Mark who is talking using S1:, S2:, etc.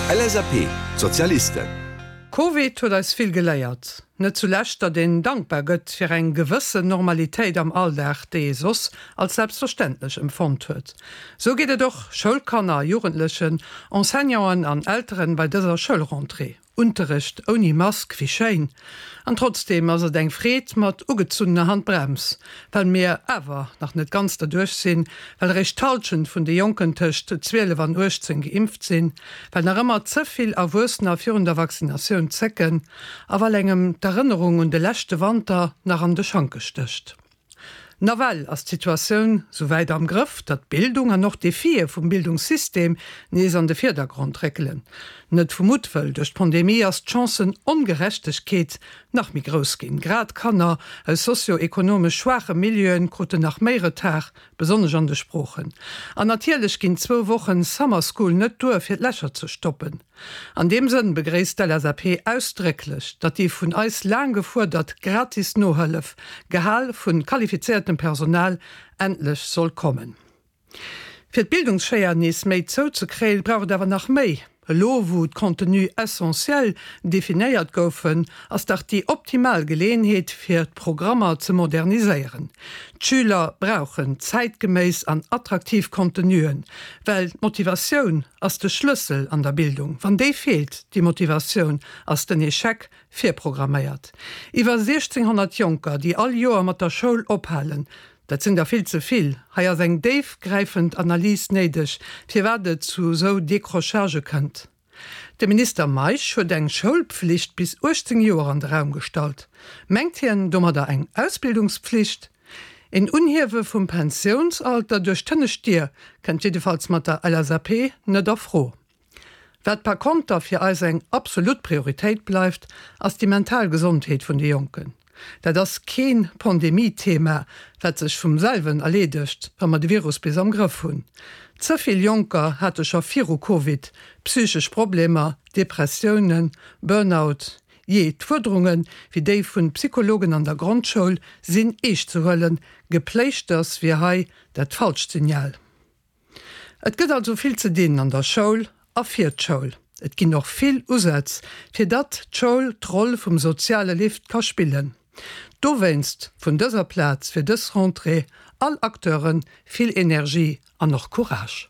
S1: LSAP, Sozialisten.
S2: Covid huet eis vill geléiert. Net zulescht, datt een dankbar gëtt fir eng gewëssen Normalitéit am Alldag, déi ee soss als selbstverständlech empfonnt huet. Sou geet et och Schoulkanner a Jugendlechen, Enseignanten an Elteren bei dëser Schoulrentrée. Unterrecht ouni Mask, wéi schéin! An trotzdeem ass et eng Freed mat ugezunnener Handbrems, well mir awer nach net ganz derduerch sinn, well eréischt d'Halschent vun de Jonken tëscht 12 an 18 geimpft sinn, well nach ëmmer ze vill Erwuessener virun der Vaccinatioun zécken a well engem d'Erënnerung un de leschte Wanter nach an de Schanke stécht. Nawell ass d'Situatioun souwäit am Grëff, datt d'Bildung an och d'Defie vum Bildungssystem nees an de Virdergrond réckelen. Net vu Muttwëll, duerch d'Pandemie ass d'Chancen-Ongerechtegkeet nach méi grouss ginn. Grad Kanner aus sozio-ekonomesch schwaache Milieuen kruten nach méi Retard, besonnesch an de Sproochen. An natierlech ginn zwou Wochen Summer School net duer, fir d'Lächer ze stoppen. An deem Sënn begréisst d'LSAP ausdrécklech, datt déi vun eis laang gefuerdert gratis Nohëllef, gehal vu qualifizéiertem Personal, endlech soll kommen. Fir d'Bildungsschéier nees méi zouzekréien, brauch et awer nach méi. Elo wou d'Contenus essentiels definéiert goufen, ass dach déi optimal Geleeënheet fir d'Programmer ze moderniséieren. D'Schüler brauchen zäitgeméiss an attraktiv Contenuen, well d'Motivatioun ass de Schlëssel an der Bildung. Wann déi feelt, déi Motivatioun, ass den Echec virprogramméiert. Iwwer 1600 Jonker, déi all Joer mat der Schoul ophalen, dat sinn der vill ze vill. Hei ass eng déifgräifend Analys néideg, firwat et zu esou Décrochagë kënnt. De Minister Meisch huet eng Schoulpflicht bis 18 Joer an de Raum gestallt. Mengt hien domadder eng Ausbildungspflicht? Een Unhiewe vum Pensiounsalter duerch d'hënnescht Dier kënnt jiddefalls mat der LSAP net a Fro. Wat par konter fir eis eng absolut Prioritéit bleift, ass déi mental Gesondheet vun de Jonken. Dat ass keen Pandemie-Thema, wat sech vum selwen erleedegt, wa mer de Virus bis am Grëff hunn. Ze vill Jonker hate scho viru Covid psychesch Problemer, Depressiounen, Burnout. Jee, d'Fuerderunge wéi déi vun Psychologen an der Grondschoul sinn eescht ze huelen. Gepléischters wier hei dat falscht Signal. Et gëtt also vill ze dinn an der Schoul a fir d'Schoul. Et ginn och vill Usätz, fir datt d'Schoul d'Roll vum soziale Lift ka spillen. Dowéinst vun dëser Plaz fir dës Rentrée all Acteure vill Energie an och Courage.